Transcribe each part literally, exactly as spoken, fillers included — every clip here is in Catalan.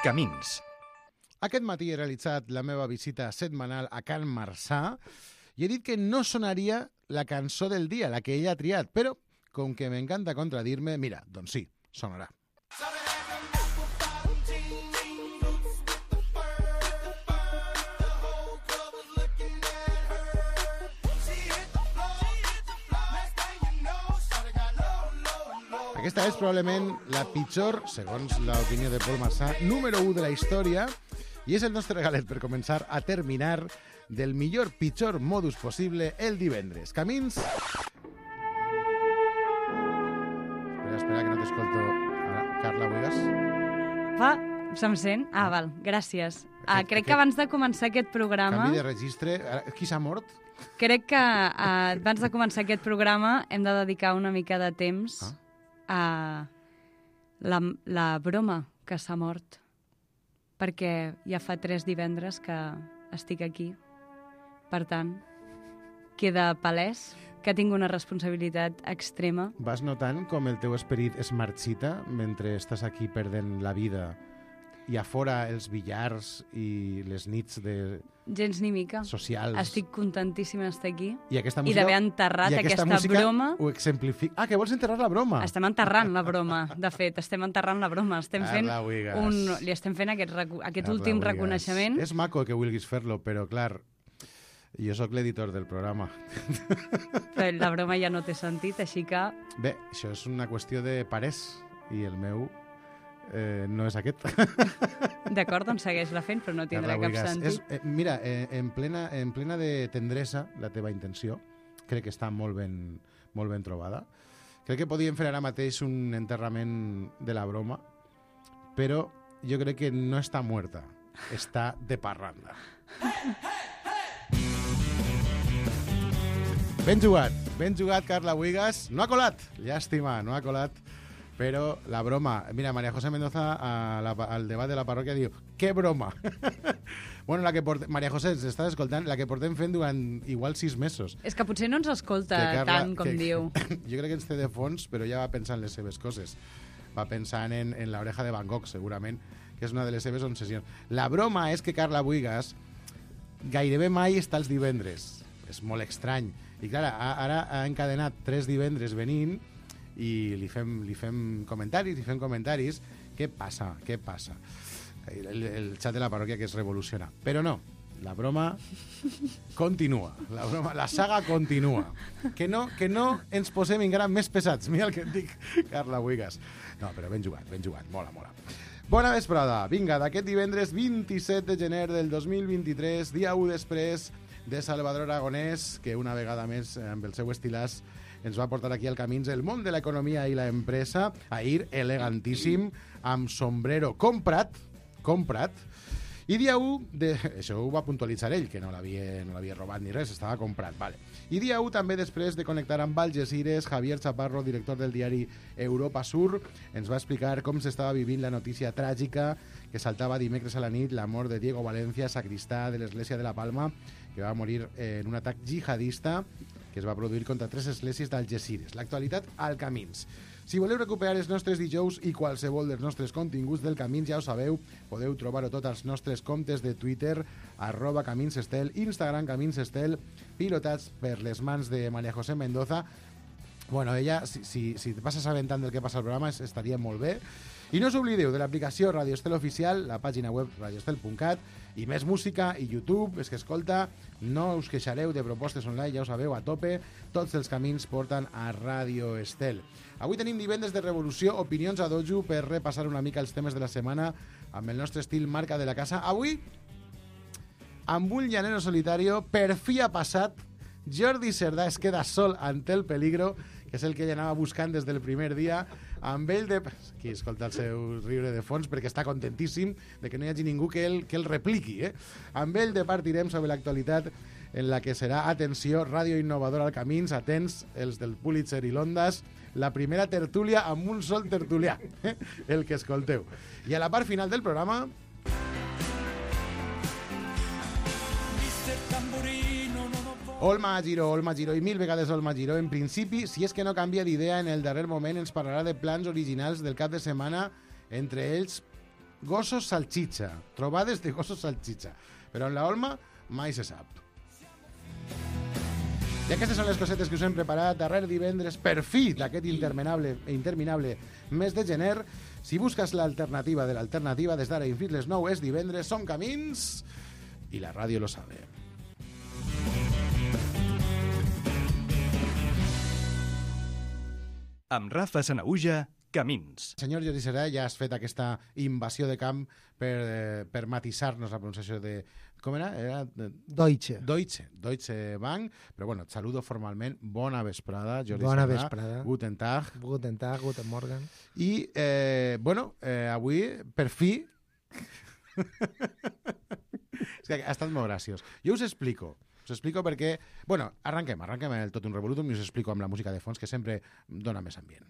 Camins. Aquest matí he realitzat la meva visita setmanal a Can Marçà i he dit que no sonaria la cançó del dia, la que ella ha triat, però com que m'encanta contradir-me, mira, doncs sí, sonarà. Aquesta és probablement la pitjor, segons l'opinió de Paul Marçà, número u de la història i és el nostre regalet per començar a terminar del millor pitjor modus possible el divendres. Camins... Espera, espera, que no t'escolto. Ara, Carla, Buegas? Va, se'm sent? Ah, val, gràcies. Ah, Aquest- crec que abans de començar aquest programa... Canvi de registre. Ara, qui s'ha mort? Crec que ah, abans de començar aquest programa hem de dedicar una mica de temps Ah. a la, la broma que s'ha mort. Perquè ja fa tres divendres que estic aquí. Per tant, queda palès que tinc una responsabilitat extrema. Vas notant com el teu esperit es marxita mentre estàs aquí perdent la vida i a fora els billars i les nits de Gens ni mica. socials? Estic contentíssima d'estar aquí I aquesta i música, d'haver enterrat i aquesta, aquesta música broma. ho exemplifica. Ah, que vols enterrar la broma? Estem enterrant la broma, de fet, estem enterrant la broma. Estem fent Carla Buigas. un, li estem fent aquest, recu- aquest Carla últim Buigas. reconeixement. És maco que vulguis fer-lo, però clar, jo sóc l'editor del programa. Però la broma ja no té sentit, així que Bé, això és una qüestió de parers i el meu eh, no és aquest. d'acord, doncs segueix-la fent, però no tindrà Carla cap Buigas. sentit. És, eh, mira, eh, en, plena, en plena de tendresa, la teva intenció, crec que està molt ben, molt ben trobada. Crec que podíem fer ara mateix un enterrament de la broma, però jo crec que no està muerta, està de parranda. Ben jugat, ben jugat, Carla Buigas. No ha colat, llàstima, no ha colat, però la broma... Mira, María José Mendoza a la, al debat de la parròquia diu «Que broma!» Bueno, la que portem... María José, s'estàs escoltant, la que portem fent durant igual sis mesos. És que potser no ens escolta Que Carla- tant com que- diu. Jo crec que ens té de fons, però ja va pensant en les seves coses. Va pensant en, en l'oreja de Van Gogh, segurament, que és una de les seves obsessions. La broma és que Carla Buigas gairebé mai està els divendres. És molt estrany. I clar, a- ara ha encadenat tres divendres venint i li fem, li fem comentaris, li fem comentaris. Què passa? Què passa? El, el, el xat de la parròquia que es revoluciona. Però no, la broma continua. La, broma, la saga continua. Que no, que no ens posem encara més pesats. Mira el que et dic, Carla Buigas. No, però ben jugat, ben jugat. Mola, mola. Bona vesprada. Vinga, d'aquest divendres vint-i-set de gener del dos mil vint-i-tres, dia u després de Salvador Aragonès, que una vegada més, amb el seu estilàs, ens va portar aquí al Camins el món de l'economia i la empresa, ahir elegantíssim, amb sombrero comprat, comprat, i dia u, de... això ho va puntualitzar ell, que no l'havia no l'havia robat ni res, estava comprat, vale. I dia u també després de connectar amb Algeciras, Javier Chaparro, director del diari Europa Sur, ens va explicar com s'estava vivint la notícia tràgica que saltava dimecres a la nit, la mort de Diego Valencia, sacristà de l'església de la Palma, que va morir en un atac jihadista que es va produir contra tres esglésies d'Algeciras. L'actualitat al Camins. Si voleu recuperar els nostres dijous i qualsevol dels nostres continguts del Camins, ja ho sabeu, podeu trobar-ho tot als nostres comptes de Twitter, arroba Caminsestel, Instagram Caminsestel, pilotats per les mans de María José Mendoza. Bueno, ella, si, si, si vas assabentant del que passa al programa, estaria molt bé. I no us oblideu de l'aplicació Radio Estel Oficial, la pàgina web radioestel punt cat, i més música i YouTube, és que escolta, no us queixareu de propostes online, ja ho sabeu, a tope, tots els camins porten a Radio Estel. Avui tenim divendres de revolució, opinions a dojo per repassar una mica els temes de la setmana amb el nostre estil marca de la casa. Avui, amb un llanero solitario, per fi ha passat, Jordi Cerdà es queda sol ante el peligro, que és el que ell anava buscant des del primer dia, amb ell de... Aquí escolta el seu riure de fons perquè està contentíssim de que no hi hagi ningú que el, que el repliqui. Eh? Amb ell departirem sobre l'actualitat en la que serà, atenció, ràdio innovadora al Camins, atents, els del Pulitzer i l'Ondas, la primera tertúlia amb un sol tertulià, eh? el que escolteu. I a la part final del programa... Olma Giró, Olma Giró i mil vegades Olma Giró. En principi, si és que no canvia d'idea en el darrer moment, ens parlarà de plans originals del cap de setmana, entre ells gossos salchicha, trobades de gossos salchicha. Però en la Olma mai se sap. I aquestes són les cosetes que us hem preparat darrer divendres per fi d'aquest interminable, interminable mes de gener. Si busques l'alternativa de l'alternativa, des d'ara i fins les nou és divendres, som camins i la ràdio lo sabe. Amb Rafa Sanaüja, Camins. Senyor Jordi Serà, ja has fet aquesta invasió de camp per, eh, per matisar-nos la pronunciació de... Com era? Era Deutsche. Deutsche. Deutsche Bank. Però bueno, et saludo formalment. Bona vesprada, Jordi Bona Serà. vesprada. Guten Tag. Guten Tag, Guten Morgen. I, eh, bueno, eh, avui, per fi... És que ha estat molt graciós. Jo us explico. Us explico perquè... Bueno, arranquem, arranquem el Tot un Revolutum i us explico amb la música de fons, que sempre dona més ambient.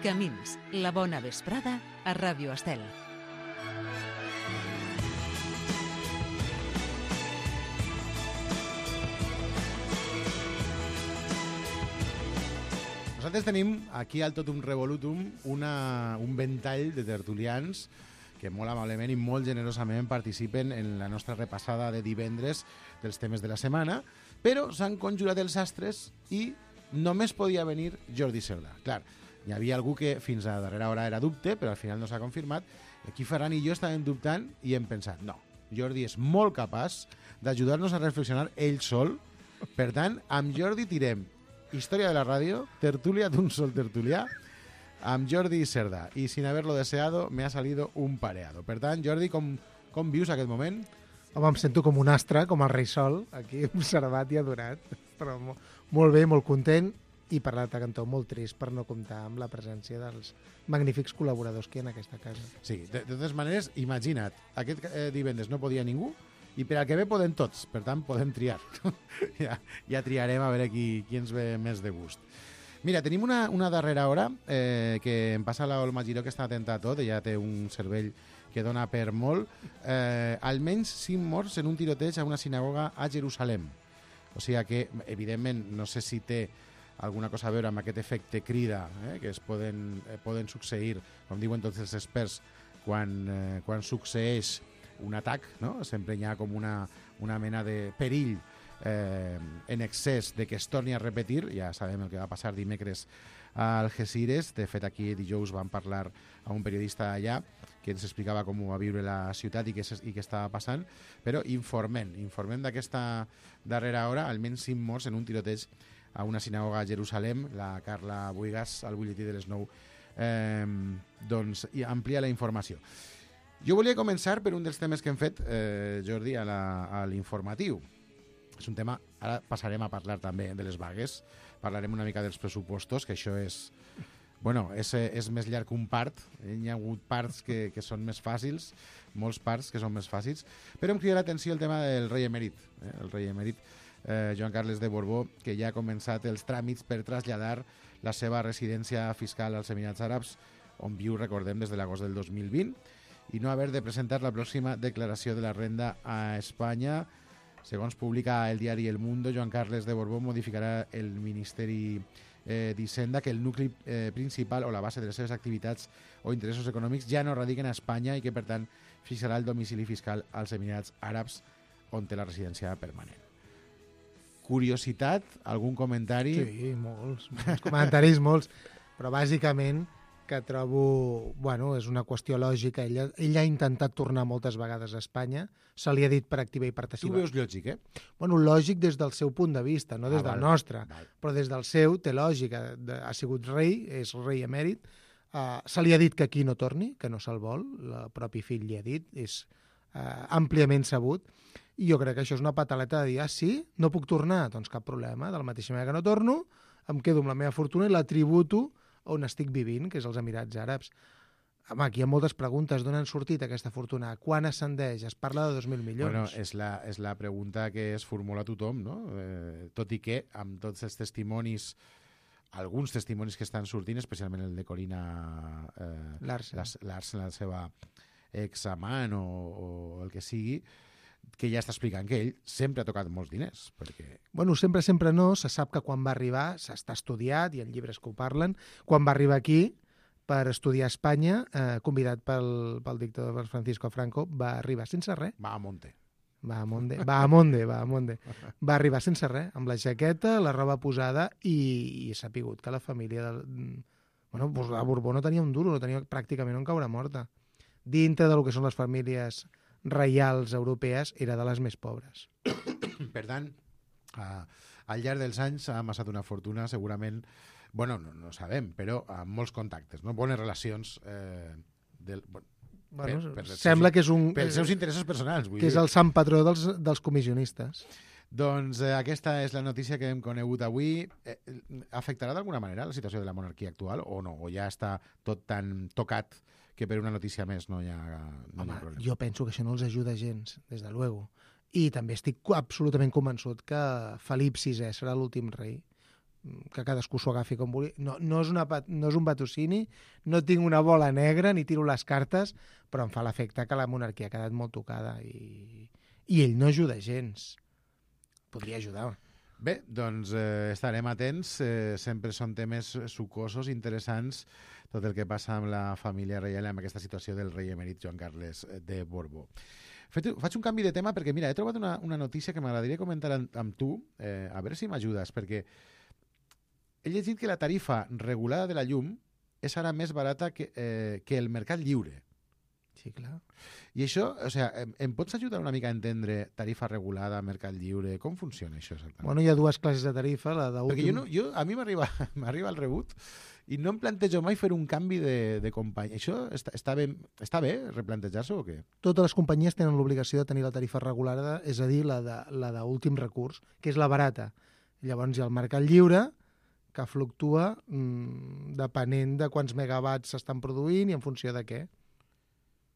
Camins, la bona vesprada a Ràdio Estel. Nosaltres tenim aquí al Totum Revolutum una, un ventall de tertulians que molt amablement i molt generosament participen en la nostra repassada de divendres dels temes de la setmana, però s'han conjurat els astres i només podia venir Jordi Cerdà. Clar, hi havia algú que fins a darrera hora era dubte, però al final no s'ha confirmat. Aquí Ferran i jo estàvem dubtant i hem pensat, no, Jordi és molt capaç d'ajudar-nos a reflexionar ell sol. Per tant, amb Jordi tirem Història de la ràdio, tertulia d'un sol tertulià, amb Jordi Cerdà. I sin haberlo deseado, me ha salido un pareado. Per tant, Jordi, com, com vius aquest moment? Home, em sento com un astre, com el rei sol, aquí observat i adorat. Però mo molt bé, molt content, i per l'altre cantó molt trist per no comptar amb la presència dels magnífics col·laboradors que hi ha en aquesta casa. Sí, de, de totes maneres, imagina't, aquest eh, divendres no podia ningú, i per al que ve podem tots, per tant podem triar. ja, ja triarem a veure qui, qui ens ve més de gust. Mira, tenim una, una darrera hora eh, que em passa l'Olma Giró, que està atenta a tot, ella té un cervell que dona per molt. Eh, almenys cinc morts en un tiroteig a una sinagoga a Jerusalem. O sigui que, evidentment, no sé si té alguna cosa a veure amb aquest efecte crida eh, que es poden, eh, poden succeir, com diuen tots els experts, quan, eh, quan succeeix un atac, no? Sempre hi ha com una, una mena de perill eh, en excés de que es torni a repetir. Ja sabem el que va passar dimecres a Algesires. De fet, aquí dijous vam parlar a un periodista allà que ens explicava com ho va viure la ciutat i què, i què estava passant, però informem, informem d'aquesta darrera hora, almenys cinc morts en un tiroteig a una sinagoga a Jerusalem. La Carla Buigas, al butlletí de les nou, eh, doncs amplia la informació. Jo volia començar per un dels temes que hem fet, eh, Jordi, a l'informatiu. És un tema... Ara passarem a parlar també de les vagues, parlarem una mica dels pressupostos, que això és... Bueno, és, és més llarg que un part. Hi ha hagut parts que, que són més fàcils, molts parts que són més fàcils, però em crida l'atenció el tema del rei emèrit. Eh? El rei emèrit, eh, Joan Carles de Borbó, que ja ha començat els tràmits per traslladar la seva residència fiscal als Emirats Àrabs, on viu, recordem, des de l'agost del dos mil vint, i no haver de presentar la pròxima declaració de la renda a Espanya. Segons publica el diari El Mundo, Joan Carles de Borbó modificarà el Ministeri eh, d'Hisenda, que el nucli eh, principal o la base de les seves activitats o interessos econòmics ja no radiquen a Espanya i que, per tant, fixarà el domicili fiscal als Emirats Àrabs, on té la residència permanent. Curiositat? Algun comentari? Sí, molts, molts comentaris, molts, però bàsicament que trobo, bueno, és una qüestió lògica. Ell, ell ha intentat tornar moltes vegades a Espanya, se li ha dit per activa i per Tu passiva. veus lògic, eh? Bueno, lògic des del seu punt de vista, no des Ah, del val, nostre, val. però des del seu té lògica. De, ha sigut rei, és rei emèrit, uh, se li ha dit que aquí no torni, que no se'l vol, el propi fill li ha dit, és uh, àmpliament sabut, i jo crec que això és una pataleta de dir, ah, sí, no puc tornar? Doncs cap problema, de la mateixa manera que no torno, em quedo amb la meva fortuna i la tributo on estic vivint, que és els Emirats Àrabs. Home, aquí hi ha moltes preguntes. D'on han sortit aquesta fortuna? Quan ascendeix? Es parla de dos mil milions. Bueno, és la, és la pregunta que es formula tothom, no? Eh, tot i que, amb tots els testimonis, alguns testimonis que estan sortint, especialment el de Corina eh, Larsen. Larsen, la seva examant o, o el que sigui, que ja està explicant que ell sempre ha tocat molts diners, perquè... Bueno, sempre, sempre no. Se sap que quan va arribar, s'està estudiat, hi ha llibres que ho parlen, quan va arribar aquí per estudiar a Espanya, eh, convidat pel, pel dictador Francisco Franco, va arribar sense res. Va a monte. Va a Monde, va a Monde, va a Monde. Va arribar sense res, amb la jaqueta, la roba posada, i, i s'ha pigut que la família... Del... Bueno, doncs la Borbó no tenia un duro, no tenia pràcticament un caure morta. Dintre del que són les famílies reials europees, era de les més pobres. Per tant, uh, al llarg dels anys ha amassat una fortuna, segurament, bueno, no, no sabem, però amb molts contactes, no? Bones relacions eh, del... Bueno, Bueno, per, per sembla seus, que és un... pels seus interessos personals. Vull que dir. és el sant patró dels, dels comissionistes. Doncs eh, aquesta és la notícia que hem conegut avui. Eh, afectarà d'alguna manera la situació de la monarquia actual o no? O ja està tot tan tocat que per una notícia més no hi ha, no Home, hi ha problema? jo penso que això no els ajuda gens, des de luego. I també estic absolutament convençut que Felip sisè serà l'últim rei, que cadascú s'ho agafi com vulgui. No, no, és una, no és un vaticini, no tinc una bola negra ni tiro les cartes, però em fa l'efecte que la monarquia ha quedat molt tocada i, i ell no ajuda gens. Podria ajudar. Bé, doncs eh, estarem atents. Eh, sempre són temes sucosos, interessants, tot el que passa amb la família reial amb aquesta situació del rei emèrit Joan Carles de Borbó. Faig un canvi de tema perquè, mira, he trobat una, una notícia que m'agradaria comentar amb, amb tu, eh, a veure si m'ajudes, perquè he llegit que la tarifa regulada de la llum és ara més barata que, eh, que el mercat lliure. Sí, clar. I això, o sigui, em, em pots ajudar una mica a entendre tarifa regulada, mercat lliure? Com funciona això exactament? Bueno, hi ha dues classes de tarifa. La d'últim... Perquè jo, no, jo a mi m'arriba m'arriba el rebut i no em plantejo mai fer un canvi de, de companyia. Això està, està, bé, està bé replantejar-se o què? Totes les companyies tenen l'obligació de tenir la tarifa regulada, és a dir, la de, la d'últim recurs, que és la barata. Llavors hi ha el mercat lliure, que fluctua mmm, depenent de quants megawatts s'estan produint i en funció de què.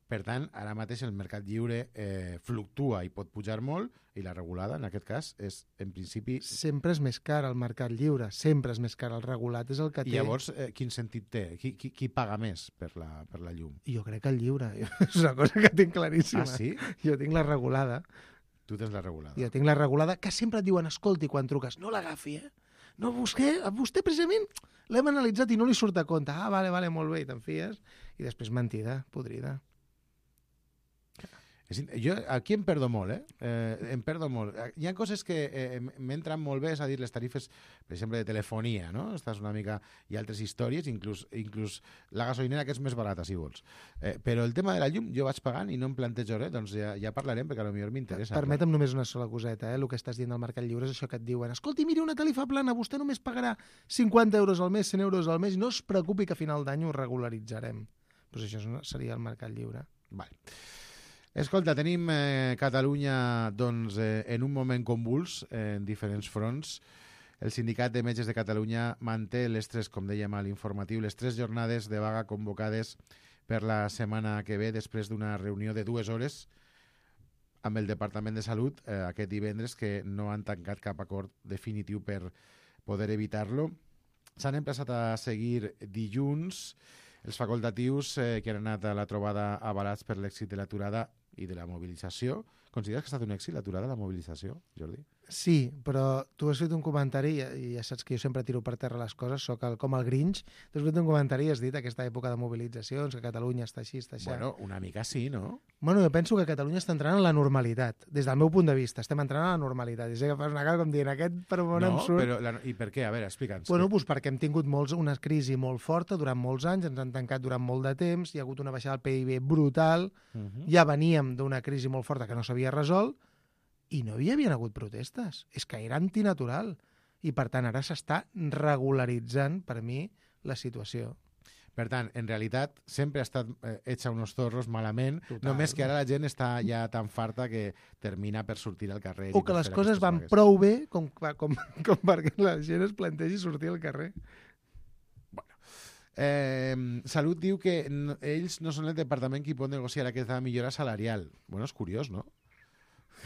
Per tant, ara mateix el mercat lliure eh, fluctua i pot pujar molt i la regulada, en aquest cas, és, en principi... Sempre és més car el mercat lliure, sempre és més car. El regulat és el que té... I llavors, eh, quin sentit té? Qui, qui, qui paga més per la, per la llum? Jo crec que el lliure. És una cosa que tinc claríssima. Ah, sí? Jo tinc la regulada. Tu tens la regulada. Jo tinc la regulada, que sempre et diuen, escolti, quan truques, no l'agafi, eh? No, vostè, vostè precisament l'hem analitzat i no li surt a compte. Ah, vale, vale, molt bé, i te'n fies. I després mentida, podrida. Jo aquí em perdo molt, eh? eh? Em perdo molt. Hi ha coses que eh, m'entren molt bé, és a dir, les tarifes, per exemple, de telefonia, no? Estàs una mica... Hi ha altres històries, inclús, inclús la gasolinera, que és més barata, si vols. Eh, però el tema de la llum, jo vaig pagant i no em plantejo res, doncs ja, ja parlarem, perquè potser m'interessa. Permetem només una sola coseta, eh? El que estàs dient del mercat lliure és això que et diuen, escolti, miri una tarifa plana, vostè només pagarà cinquanta euros al mes, cent euros al mes, i no es preocupi que a final d'any ho regularitzarem. Doncs això seria el mercat lliure. Vale. Escolta, tenim eh, Catalunya doncs, eh, en un moment convuls eh, en diferents fronts. El Sindicat de Metges de Catalunya manté les tres, com dèiem a l'informatiu, les tres jornades de vaga convocades per la setmana que ve després d'una reunió de dues hores amb el Departament de Salut eh, aquest divendres, que no han tancat cap acord definitiu per poder evitar-lo. S'han emplaçat a seguir dilluns els facultatius eh, que han anat a la trobada avalats per l'èxit de l'aturada i de la mobilització. Consideres que ha estat un èxit l'aturada, la mobilització, Jordi? Sí, però tu has fet un comentari, i ja saps que jo sempre tiro per terra les coses, soc el, com el Grinch, tu has fet un comentari i has dit aquesta època de mobilitzacions, que Catalunya està així, està així. Bueno, una mica sí, no? Bueno, jo penso que Catalunya està entrant en la normalitat. Des del meu punt de vista, estem entrant en la normalitat. I sé que fas una cara com dient, aquest per on no, em surt... Però la, I per què? A veure, explica'ns. Bueno, doncs perquè hem tingut molts, una crisi molt forta durant molts anys, ens han tancat durant molt de temps, hi ha hagut una baixada del P I B brutal, uh -huh. ja veníem d'una crisi molt forta que no s'havia resolt, i no hi havia hagut protestes. És que era antinatural. I, per tant, ara s'està regularitzant, per mi, la situació. Per tant, en realitat, sempre ha estat eh, hecha unos zorros malament, Total. només que ara la gent està ja tan farta que termina per sortir al carrer. O que les coses van vagues. prou bé com, com, com perquè la gent es plantegi sortir al carrer. Bueno. Eh, Salut diu que no, ells no són el departament qui pot negociar aquesta millora salarial. Bueno, és curiós, no?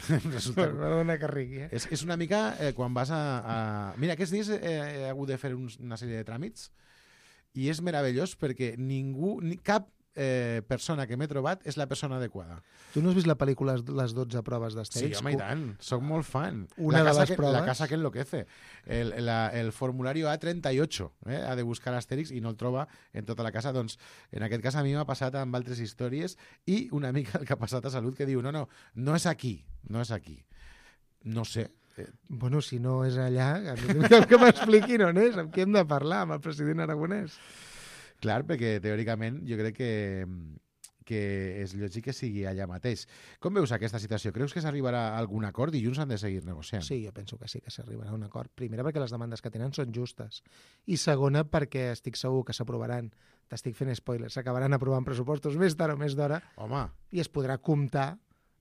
Resulta... Perdona que rigui, eh? És, és una mica eh, quan vas a, a... Mira, aquests dies he, he hagut de fer uns, una sèrie de tràmits i és meravellós perquè ningú, ni, cap eh, persona que m'he trobat és la persona adequada. Tu no has vist la pel·lícula Les dotze proves Sí, d'Astèrix? home, i tant. Soc molt fan. Una la de casa les que, proves- La casa que enloquece. El, la, el formulario A trenta y ocho. Eh? Ha de buscar Astèrix i no el troba en tota la casa. Doncs, en aquest cas, a mi m'ha passat amb altres històries i una mica el que ha passat a Salut que diu, no, no, no és aquí, no és aquí. No sé. Eh, Bueno, si no és allà, que, que m'expliquin on és, amb qui hem de parlar, amb el president aragonès. clar, perquè teòricament jo crec que, que és lògic que sigui allà mateix. Com veus aquesta situació? Creus que s'arribarà a algun acord i junts han de seguir negociant? Sí, jo penso que sí que s'arribarà a un acord. Primera, perquè les demandes que tenen són justes. I segona, perquè estic segur que s'aprovaran, t'estic fent spoilers, s'acabaran aprovant pressupostos més tard o més d'hora Home, i es podrà comptar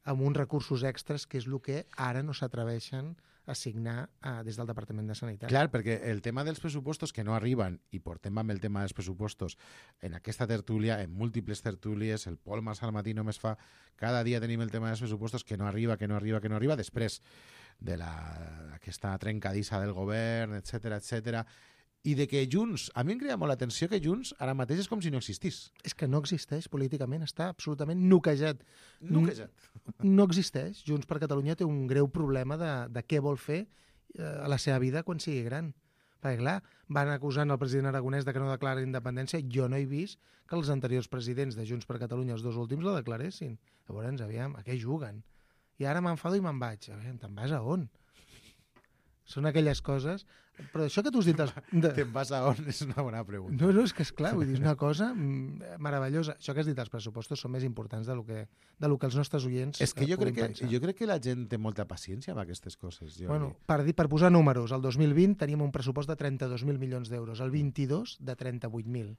amb uns recursos extras, que és el que ara no s'atreveixen a signar eh, des del Departament de Sanitat. clar, perquè el tema dels pressupostos que no arriben, i portem amb el tema dels pressupostos en aquesta tertúlia, en múltiples tertúlies, el Pol Mas al matí només fa, cada dia tenim el tema dels pressupostos que no arriba, que no arriba, que no arriba, després de la, aquesta trencadissa del govern, etcètera, etcètera, i de que Junts, a mi em crea molt l'atenció que Junts ara mateix és com si no existís. És que no existeix políticament, està absolutament noquejat. Noquejat. No existeix. Junts per Catalunya té un greu problema de, de què vol fer eh, a la seva vida quan sigui gran. Perquè, clar, van acusant el president aragonès de que no declara independència. Jo no he vist que els anteriors presidents de Junts per Catalunya, els dos últims, la declaressin. Llavors, aviam, a què juguen? I ara m'enfado i me'n vaig. Aviam, te'n vas a on? Són aquelles coses... Però això que tu has dit... Els... De... Te'n vas a on? És una bona pregunta. No, no, és que és clar, vull dir, és una cosa mm, meravellosa. Això que has dit, els pressupostos són més importants de lo que, de lo que els nostres oients És que eh, jo crec puguin que, pensar. jo crec que la gent té molta paciència amb aquestes coses. Jo Bueno, per, dir, per posar números, el dos mil vint teníem un pressupost de trenta-dos mil milions d'euros, el vint-i-dos de trenta-vuit mil.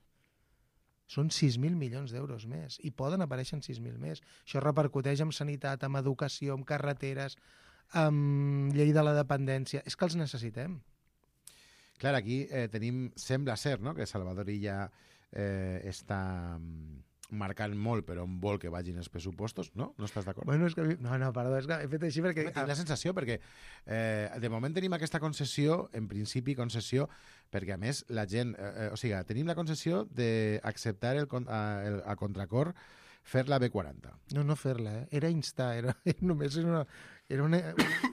Són sis mil milions d'euros més, i poden aparèixer sis mil més. Això repercuteix en sanitat, en educació, en carreteres, amb llei de la dependència. És que els necessitem. Clar, aquí eh, tenim, sembla ser, no?, que Salvador Illa eh, està mm, marcant molt per on vol que vagin els pressupostos, no? No estàs d'acord? Bueno, és que... a mi- No, no, perdó, és que he fet així perquè... Tinc la sensació, perquè eh, de moment tenim aquesta concessió, en principi concessió, perquè a més la gent... Eh, eh, o sigui, tenim la concessió d'acceptar el, con- a, el, a contracor fer la B quaranta. No, no fer-la, eh? Era instar, era, era només era una, era una,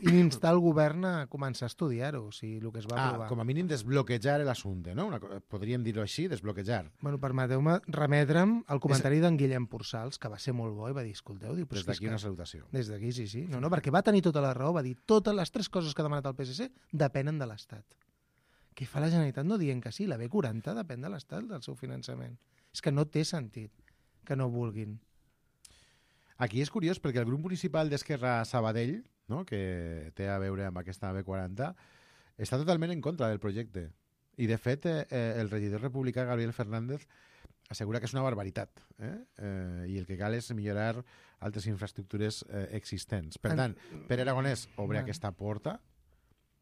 instar el govern a començar a estudiar-ho, o sigui, el que es va Ah, aprovar. com a mínim desbloquejar l'assumpte, no? Una, co- podríem dir-ho així, desbloquejar. Bueno, permeteu-me remetre'm al comentari d'en Guillem Porçals, que va ser molt bo i va dir, escolteu, diu, però Des és que és d'aquí que... una salutació. Des d'aquí, sí, sí. No, no, perquè va tenir tota la raó, va dir, totes les tres coses que ha demanat el P S C depenen de l'Estat. Què fa la Generalitat no dient que sí? La B quaranta depèn de l'Estat, del seu finançament. És que no té sentit que no vulguin. Aquí és curiós perquè el grup municipal d'Esquerra Sabadell, no?, que té a veure amb aquesta B quaranta, està totalment en contra del projecte. I, de fet, eh, el regidor republicà Gabriel Fernández assegura que és una barbaritat, eh? Eh, i el que cal és millorar altres infraestructures eh, existents. Per tant, Pere Aragonès obre Bueno. aquesta porta,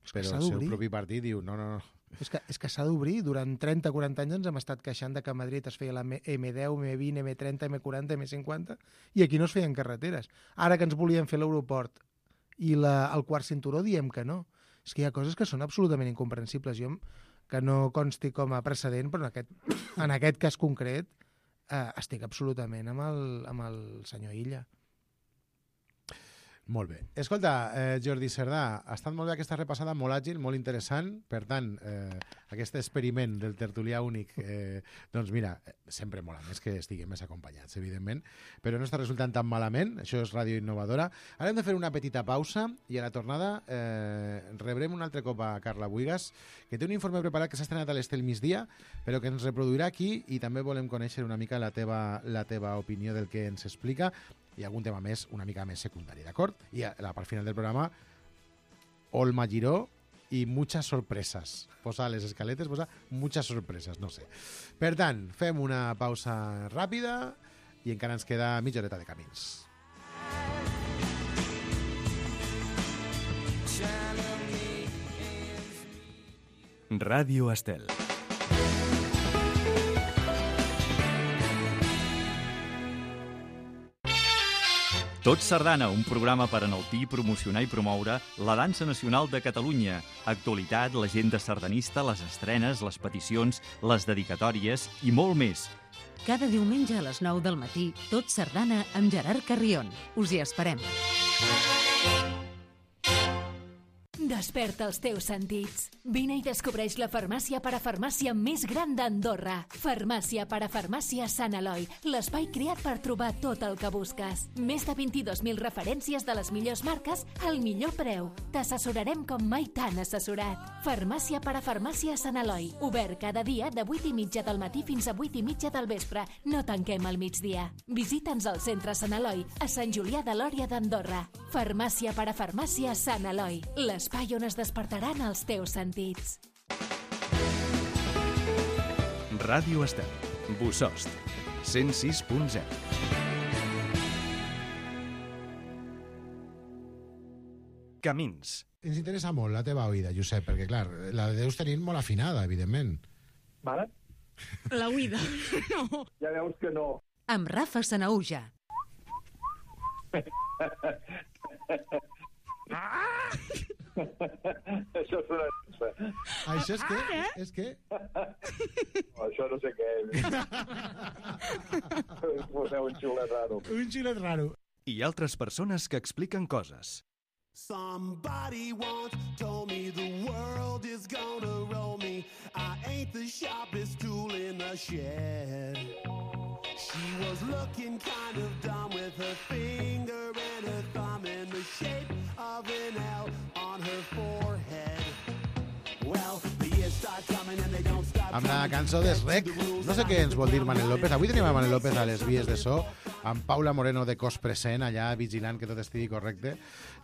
És que però s'ha el seu d'obrir. propi partit diu no, no, no. És que, és que s'ha d'obrir. Durant trenta o quaranta anys ens hem estat queixant de que a Madrid es feia la eme deu, eme vint, eme trenta, eme quaranta, eme cinquanta, i aquí no es feien carreteres. Ara que ens volien fer l'aeroport i la, el quart cinturó diem que no. És que hi ha coses que són absolutament incomprensibles. Jo, que no consti com a precedent, però en aquest, en aquest cas concret eh, estic absolutament amb el, amb el senyor Illa. Molt bé. Escolta, eh, Jordi Cerdà, ha estat molt bé aquesta repassada, molt àgil, molt interessant. Per tant, eh, aquest experiment del tertulià únic, eh, doncs mira, sempre mola més que estiguem més acompanyats, evidentment, però no està resultant tan malament. Això és Ràdio Innovadora. Ara hem de fer una petita pausa i a la tornada eh, rebrem un altre cop a Carla Buigas, que té un informe preparat que s'ha estrenat a l'Estel migdia, però que ens reproduirà aquí i també volem conèixer una mica la teva, la teva opinió del que ens explica i algun tema més, una mica més secundari, d'acord? I a la part final del programa, Olma Giró i muchas sorpresas. Posa les escaletes, posa muchas sorpresas, no sé. Per tant, fem una pausa ràpida i encara ens queda mitja horeta de camins. Ràdio Estel. Tot Sardana, un programa per enaltir, promocionar i promoure la dansa nacional de Catalunya. Actualitat, l'agenda sardanista, les estrenes, les peticions, les dedicatòries i molt més. Cada diumenge a les nou del matí, Tot Sardana amb Gerard Carrion. Us hi esperem. Desperta els teus sentits. Vine i descobreix la farmàcia parafarmàcia més gran d'Andorra. Farmàcia parafarmàcia Sant Eloi, l'espai creat per trobar tot el que busques. Més de vint-i-dos mil referències de les millors marques al millor preu. T'assessorarem com mai t'han assessorat. Farmàcia parafarmàcia Sant Eloi, obert cada dia de vuit i mitja del matí fins a vuit i mitja del vespre. No tanquem al migdia. Visita'ns al centre Sant Eloi, a Sant Julià de Lòria d'Andorra. Farmàcia parafarmàcia Sant Eloi, l'espai on es despertaran els teus sentits. Ràdio Estel, Bossòst, cent sis punt zero. Camins. Ens interessa molt la teva oïda, Josep, perquè, clar, la deus tenir molt afinada, evidentment. Vale? La oïda, no. Ja veus que no. Amb Rafa Sanauja. Ah! Això és una... Això és què? Ah, és què? No, això no sé què és. Poseu un xiulet raro. Un xiulet raro. I altres persones que expliquen coses. Somebody once told me the world is gonna roll me. I ain't the sharpest tool in the shed. She was looking kind of dumb with her finger and her thumb in the shape of an L on her forehead. Well, the years start coming and they don't stop. Amb la cançó d'Esrec, no sé què ens vol dir Manel López. Avui tenim a Manel López a les vies de so, amb Paula Moreno de cos present, allà vigilant que tot estigui correcte,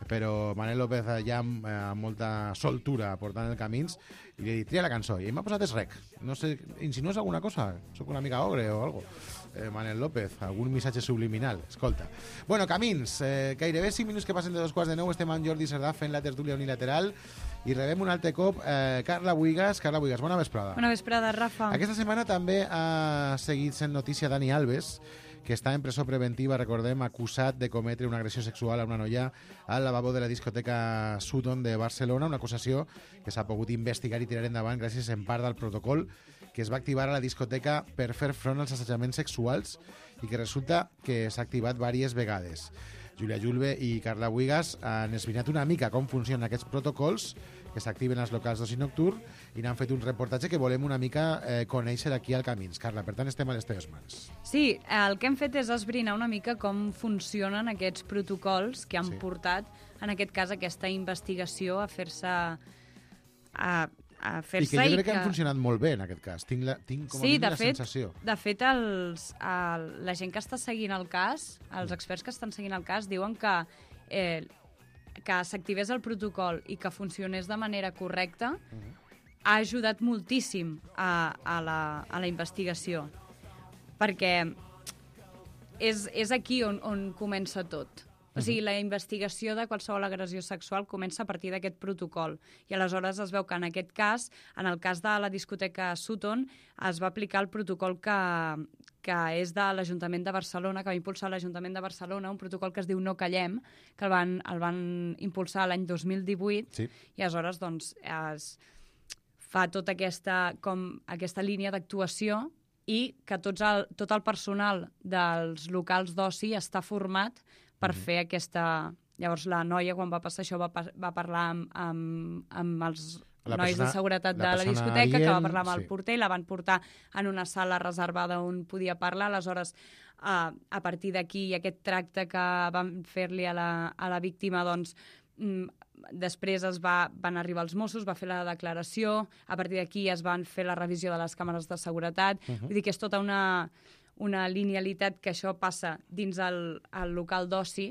però Manel López allà amb, eh, amb molta soltura portant el camins, i li he dit, tria la cançó, i m'ha posat Esrec. No sé, insinues alguna cosa? Soc una mica ogre o algo? Eh, Manel López, algun missatge subliminal, escolta. Bueno, camins, eh, gairebé cinc minuts que passen de dos quarts de nou, estem amb Jordi Cerdà fent la tertúlia unilateral i rebem un altre cop eh, Carla Buigas. Carla Buigas, bona vesprada. Bona vesprada, Rafa. Aquesta setmana també ha seguit sent notícia Dani Alves, que està en presó preventiva, recordem, acusat de cometre una agressió sexual a una noia al lavabo de la discoteca Sutton de Barcelona, una acusació que s'ha pogut investigar i tirar endavant gràcies en part al protocol que es va activar a la discoteca per fer front als assetjaments sexuals i que resulta que s'ha activat diverses vegades. Júlia Julve i Carla Buigas han esbrinat una mica com funcionen aquests protocols que s'activen als locals d'oci nocturn i n'han fet un reportatge que volem una mica eh, conèixer aquí al Camins. Carla, per tant, estem a les teves mans. Sí, el que hem fet és esbrinar una mica com funcionen aquests protocols que han Sí. portat, en aquest cas, aquesta investigació a fer-se... a, a fer-se I que jo crec que han funcionat molt bé, en aquest cas. Tinc, la, tinc com a Sí, mínim de la fet, sensació. de fet els, el, la gent que està seguint el cas, els experts que estan seguint el cas, diuen que, eh, que s'activés el protocol i que funcionés de manera correcta ha ajudat moltíssim a, a, la, a la investigació. Perquè és, és aquí on, on comença tot. O sigui, la investigació de qualsevol agressió sexual comença a partir d'aquest protocol. I aleshores es veu que en aquest cas, en el cas de la discoteca Sutton, es va aplicar el protocol que, que és de l'Ajuntament de Barcelona, que va impulsar l'Ajuntament de Barcelona, un protocol que es diu No Callem, que el van, el van impulsar l'any dos mil divuit, Sí. i aleshores doncs, es fa tota aquesta, com, aquesta línia d'actuació i que tots el, tot el personal dels locals d'oci està format per Mhm. fer aquesta... Llavors, la noia, quan va passar això, va, pa- va parlar amb, amb, amb els La nois persona- de seguretat la de la persona discoteca, que va adient, parlar amb el sí. porter, i la van portar en una sala reservada on podia parlar. Aleshores, a, a partir d'aquí, aquest tracte que van fer-li a, la, a la víctima, doncs, mm, després es va, van arribar els Mossos, va fer la declaració, a partir d'aquí es van fer la revisió de les càmeres de seguretat. Mhm. Vull dir que és tota una, una linealitat que això passa dins el, el local d'oci,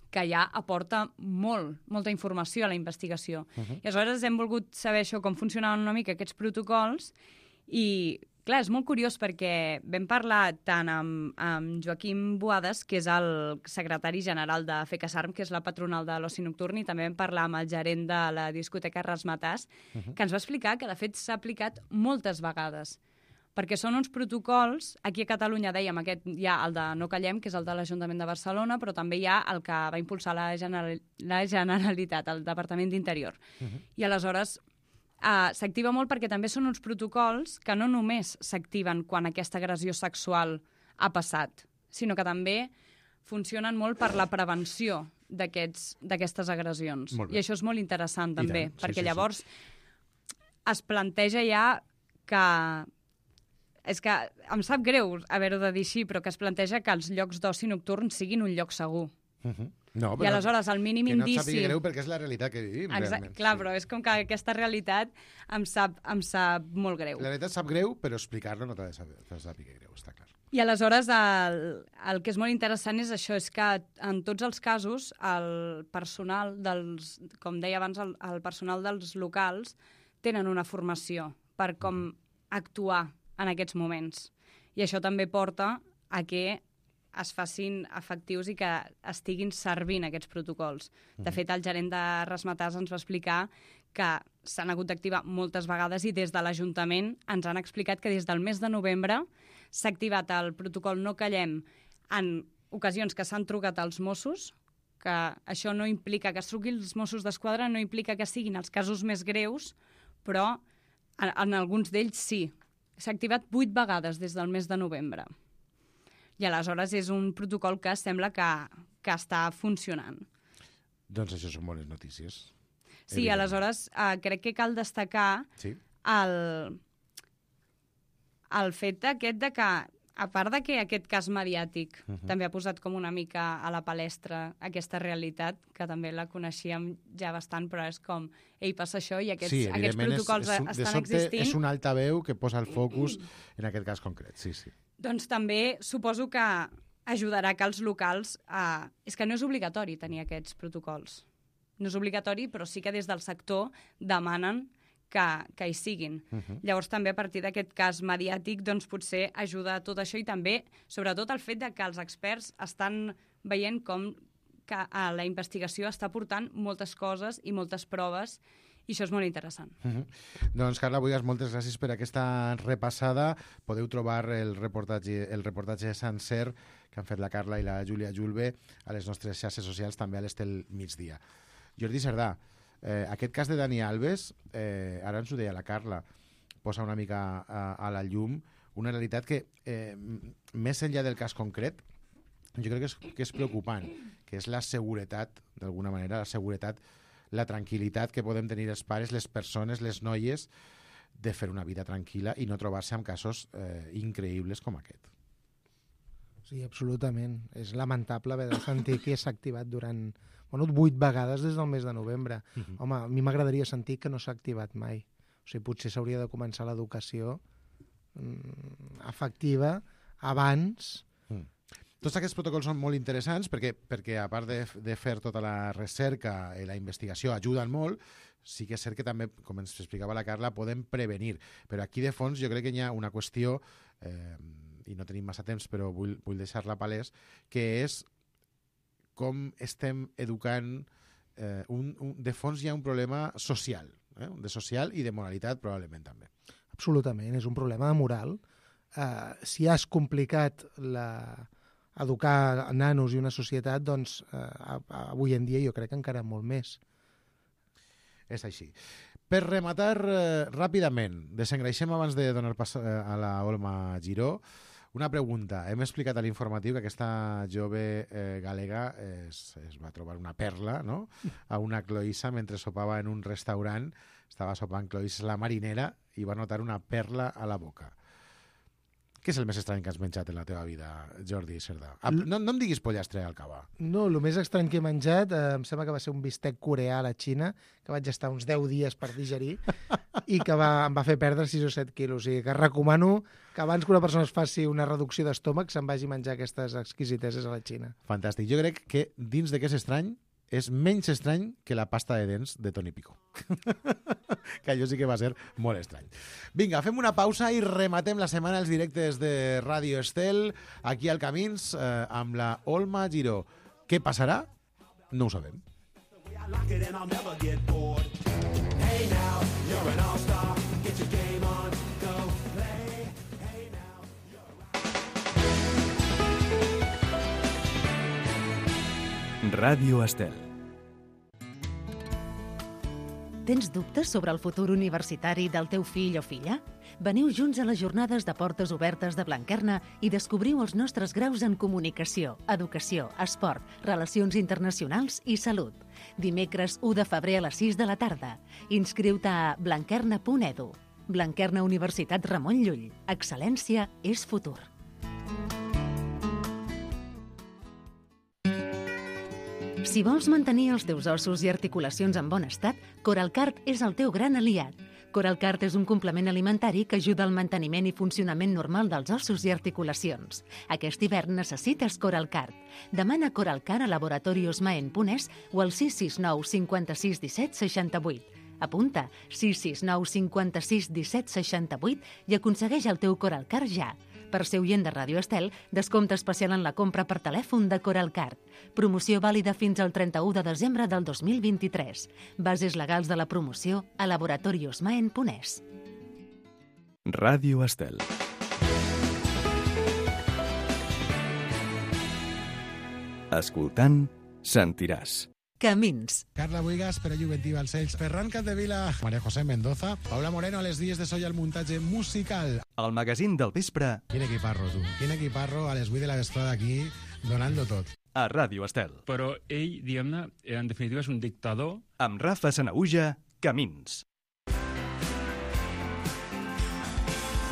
que ja aporta molt, molta informació a la investigació. Mhm. I aleshores hem volgut saber això, com funcionaven una mica aquests protocols, i clar, és molt curiós perquè vam parlar tant amb, amb Joaquim Boades, que és el secretari general de FECASARM, que és la patronal de l'oci nocturn, i també vam parlar amb el gerent de la discoteca Rasmatàs, Mhm. que ens va explicar que de fet s'ha aplicat moltes vegades, perquè són uns protocols, aquí a Catalunya dèiem, aquest hi ha el de No Callem, que és el de l'Ajuntament de Barcelona, però també hi ha el que va impulsar la, General, la Generalitat, el Departament d'Interior. Uh-huh. I aleshores uh, s'activa molt perquè també són uns protocols que no només s'activen quan aquesta agressió sexual ha passat, sinó que també funcionen molt per la prevenció d'aquestes agressions. I això és molt interessant, també, sí, perquè sí, llavors sí. es planteja ja que... És que em sap greu haver-ho de dir així, però que es planteja que els llocs d'oci nocturn siguin un lloc segur. Uh-huh. No, I aleshores el mínim indici... Que no et sàpiga greu perquè és la realitat que vivim, Exacte, realment. Clar, sí. però és com que aquesta realitat em sap, em sap molt greu. La realitat sap greu, però explicar-la no t'ha de sàpiga greu, està clar. I aleshores el, el que és molt interessant és això, és que en tots els casos el personal dels, com deia abans, el, el personal dels locals tenen una formació per com actuar en aquests moments. I això també porta a que es facin efectius i que estiguin servint aquests protocols. De fet, el gerent de Rasmatàs ens va explicar que s'han hagut d'activar moltes vegades i des de l'Ajuntament ens han explicat que des del mes de novembre s'ha activat el protocol No Callem en ocasions que s'han trucat als Mossos, que això no implica que es truquin els Mossos d'Esquadra, no implica que siguin els casos més greus, però en, en alguns d'ells sí. S'ha activat vuit vegades des del mes de novembre. I aleshores és un protocol que sembla que, que està funcionant. Doncs això són bones notícies. Sí, evident. Aleshores eh, crec que cal destacar sí. el, el fet aquest de que, a part de que aquest cas mediàtic uh-huh. també ha posat com una mica a la palestra aquesta realitat, que també la coneixíem ja bastant, però és com, ei, passa això i aquests, sí, aquests protocols és, és un, estan sobte, existint. És un altaveu que posa el focus en aquest cas concret, sí, sí. Doncs també suposo que ajudarà que els locals... Eh, és que no és obligatori tenir aquests protocols. No és obligatori, però sí que des del sector demanen que, que hi siguin. Uh-huh. Llavors també a partir d'aquest cas mediàtic doncs potser ajuda a tot això i també, sobretot, el fet de que els experts estan veient com que a la investigació està portant moltes coses i moltes proves i això és molt interessant. Uh-huh. Doncs, Carla Buigas, moltes gràcies per aquesta repassada. Podeu trobar el reportatge, el reportatge sencer que han fet la Carla i la Júlia Julve a les nostres xarxes socials, també a les del migdia. Jordi Cerdà, eh, aquest cas de Dani Alves, eh, ara ens ho deia la Carla, posa una mica a, a la llum una realitat que, eh, més enllà del cas concret, jo crec que és, que és preocupant, que és la seguretat, d'alguna manera, la seguretat, la tranquil·litat que podem tenir els pares, les persones, les noies, de fer una vida tranquil·la i no trobar-se amb casos eh, increïbles com aquest. Sí, absolutament. És lamentable haver de sentir que s'ha activat durant bueno, vuit vegades des del mes de novembre. Uh-huh. Home, a mi m'agradaria sentir que no s'ha activat mai. O sigui, potser s'hauria de començar l'educació mm, efectiva abans. Mm. Tots aquests protocols són molt interessants perquè, perquè a part de, de fer tota la recerca i la investigació ajuden molt, sí que és cert que també, com ens explicava la Carla, podem prevenir. Però aquí de fons jo crec que hi ha una qüestió, eh, i no tenim massa temps, però vull, vull deixar-la palès, que és com estem educant... Eh, un, un, de fons hi ha un problema social, eh? de social i de moralitat probablement també. Absolutament, és un problema de moral. Uh, si has complicat la... educar nanos i una societat, doncs eh, avui en dia jo crec que encara molt més. És així. Per rematar eh, ràpidament, desengreixem abans de donar pas eh, a la Olma Giró, una pregunta. Hem explicat a l'informatiu que aquesta jove eh, galega es, es va trobar una perla, no?, a una cloïssa mentre sopava en un restaurant. Estava sopant cloïsses la marinera i va notar una perla a la boca. Què és el més estrany que has menjat en la teva vida, Jordi Cerdà? No, no em diguis pollastre al cava. No, el més estrany que he menjat eh, em sembla que va ser un bistec coreà a la Xina, que vaig estar uns deu dies per digerir i que va, em va fer perdre sis o set quilos. O sigui que recomano que abans que una persona es faci una reducció d'estómac se'n vagi a menjar aquestes exquisiteses a la Xina. Fantàstic. Jo crec que dins de què és estrany és menys estrany que la pasta de dents de Toni Pico. Que allò sí que va ser molt estrany. Vinga, fem una pausa i rematem la setmana els directes de Ràdio Estel aquí al Camins eh, amb la Olma Giró. Què passarà? No ho sabem. Ràdio Estel. Tens dubtes sobre el futur universitari del teu fill o filla? Veniu junts a les jornades de portes obertes de Blanquerna i descobriu els nostres graus en comunicació, educació, esport, relacions internacionals i salut. Dimecres u de febrer a les sis de la tarda. Inscriu-te a blanquerna punt edu. Blanquerna Universitat Ramon Llull. Excel·lència és futur. Si vols mantenir els teus ossos i articulacions en bon estat, Coralcart és el teu gran aliat. Coralcart és un complement alimentari que ajuda al manteniment i funcionament normal dels ossos i articulacions. Aquest hivern necessites Coralcart. Demana Coralcart a Laboratorios Maen punt es o al sis sis nou cinquanta-sis disset seixanta-vuit. Apunta sis sis nou cinquanta-sis disset seixanta-vuit i aconsegueix el teu Coralcart ja. Per ser oient de Ràdio Estel, descompte especial en la compra per telèfon de Coralcart. Promoció vàlida fins al trenta-u de desembre del dos mil vint-i-tres. Bases legals de la promoció a Laboratorios Maen punt es. Ràdio Estel. Escoltant, sentiràs. Camins. Carla Buigas, Pere Juventiva als Ells, Ferran Capdevila, María José Mendoza, Paula Moreno a les dies de Soy al muntatge musical. El magazín del vespre. Quin equiparro, tu. Quin equiparro a les vuit de la vesprada aquí, donant-lo tot. A Ràdio Estel. Però ell, diguem-ne, en definitiva és un dictador. Amb Rafa Sanahuja, Camins.